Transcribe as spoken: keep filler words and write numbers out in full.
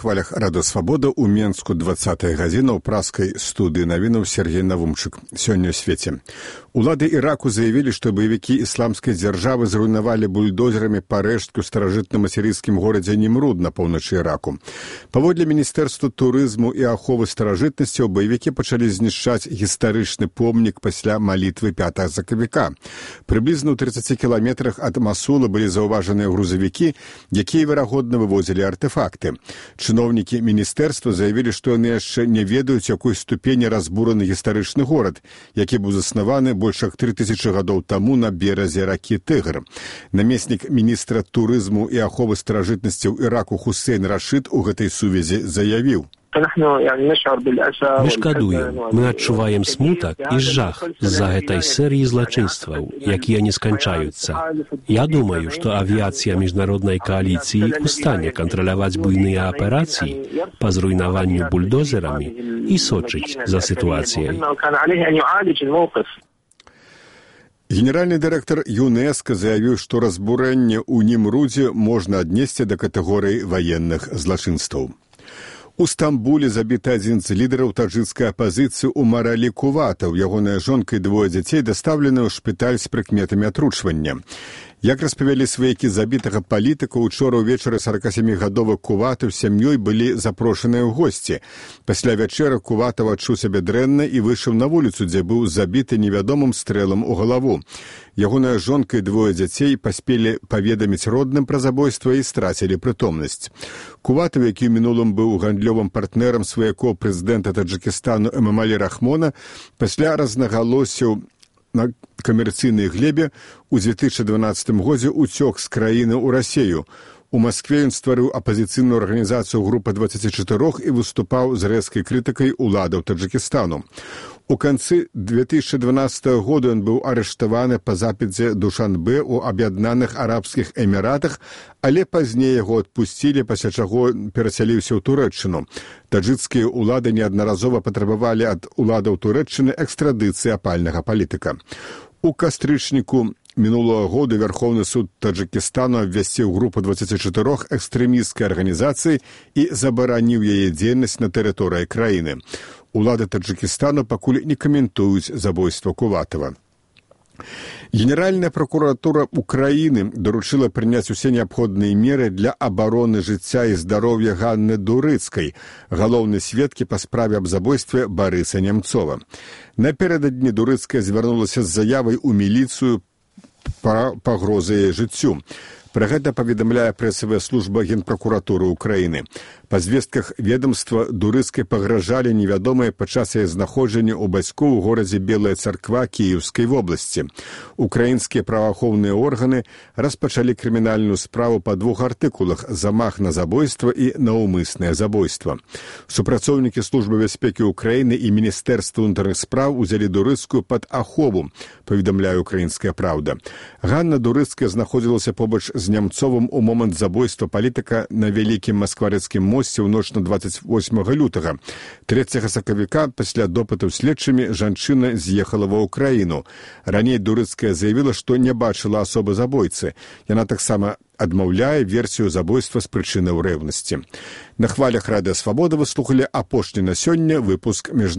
хвалях Радыё Свабода ў Менску дваццатая гадзіна ў праскай студыі навінаў Сергей Навумчык. Сёння ў свеце. Улады Іраку заявілі, што баевікі ісламскай дзяржавы зруйнавалі бульдозерамі парэшткі ў старажытным асірыйскім горадзе Німруд на поўначы Іраку. Паводле Міністэрства турызму і аховы старажытнасцяў баевікі пачалі знішчаць гістарычны помнік пасля малітвы пятага сакавіка. Прыблізна ў трыццаці кіламетрах ад Масула былі заўважаныя грузавікі, якія, верагодна, вывозілі артефакты. Чыноўнікі міністэрства заявілі, што яны яшчэ не ведаюць, якой ступені разбураны гістарычны горад, які быў заснаваны больш як тры тысячы гадоў таму на беразе ракі Тыгр. Намеснік міністра турызму і аховы старажытнасцяў Іраку Хусейн Рашид у гэтай сувязі заявіў: Мы шкадуем, мы адчуваем смутак і жах з-за гэтай серыі злачынстваў, якія не сканчаюцца. Я думаю, што авіяцыя міжнароднай кааліцыі ў стане кантраляваць буйныя аперацыі па зруйнаванню бульдозерамі і сочыць за сітуацыяй. Генеральны дырэктар ЮНЕСКО заявіў, што разбурэнне ў Німрудзе можна аднесці да катэгорыі ваенных злачынстваў. У Стамбуле забіты адзін з лідараў таджыкскай апазіцыі Умар Алі Куватаў. Ягоная жонка і двое дзяцей дастаўлены ў шпіталь з прыкметамі атручвання. Як распавялі сваякі забітага палітыка, учора ўвечары саракасямігадовы Куватаў з сям'ёй былі запрошаныя ў госці. Пасля вячэры Куватаў адчуў сябе дрэнна і выйшаў на вуліцу, дзе быў забіты невядомым стрэлам у галаву. Ягоная жонка і двое дзяцей паспелі паведаміць родным пра забойства і страцілі прытомнасць. Куватаў, які ў мінулым быў гандлёвым партнерам сваякоў прэзідэнта Таджыкістану Эмамалі Рахмона, пасля рознагалосіў на камерцыйнай глебе ў дзве тысячы дванаццатым годзе уцёк з краіны ў Расею. У Маскве ён стварыў апазіцыйную арганізацыю група дваццаці чатырох і выступаў з рэзкай крытыкай уладаў Таджыкістану. У канцы дзве тысячы дванаццатага года ён быў арыштаваны па запіце Душанбе ў Аб'яднаных Арабскіх Эміратах, але пазней яго адпусцілі, пасля чаго перасяліўся ў Турэччыну. Таджыкскія ўлады неаднаразова патрабавалі ад уладаў Турэччыны экстрадыцыі апальнага палітыка. У кастрычніку мінулого года Верховны суд Таджыкістану абвясціў групу дваццаці чатырох экстрэмісцкай арганізацыі і забараніў яе дзейнасць на тэрыторыі краіны. Улады Таджыкістану пакуль не каментуюць забойства Куватава. Генеральная прокуратура Украины доручила прыняць усе неабходныя меры для абароны жыцця і здароўя Ганны Дурыцкай, галоўнай сведкі па справе аб забойстве Барыса Нямцова. Напярэдадні Дурыцкая звярнулася з заявай у міліцыю па пагрозы яе жыццю. Пра гэта паведамляе прэсавая служба Генпракуратуры Украіны. Па звестках ведомства Дурыцкай пагражалі невядомыя падчас яе знаходжання ў бацькоў у горадзе Белая Царква Кіеўскай вобласці. Украінскія праваахоўныя органы распачалі крымінальную справу па двух артыкулах: замах на забойства і наўмыснае забойства. Супрацоўнікі службы бяспекі Украіны і Міністэрства ўнутраных спраў узялі Дурыцкую пад ахову, паведамляе Украінская Праўда. Ганна Дурыцкая знаходзілася побач з Нямцовым у момант забойства палітыка на Вялікім Маскварэцкім мосце ў ноч на дваццаць восьмага лютага. трэцяга сакавіка пасля допытаў следчымі жанчына з'ехала ва ўкраіну. Раней Дурыцкая заявіла, што не бачыла асобы забойцы. Яна таксама адмаўляе версію забойства з прычынаў рэўнасці. На хвалях Радыё Свабода вы слухалі апошні на сёння выпуск міжнароднага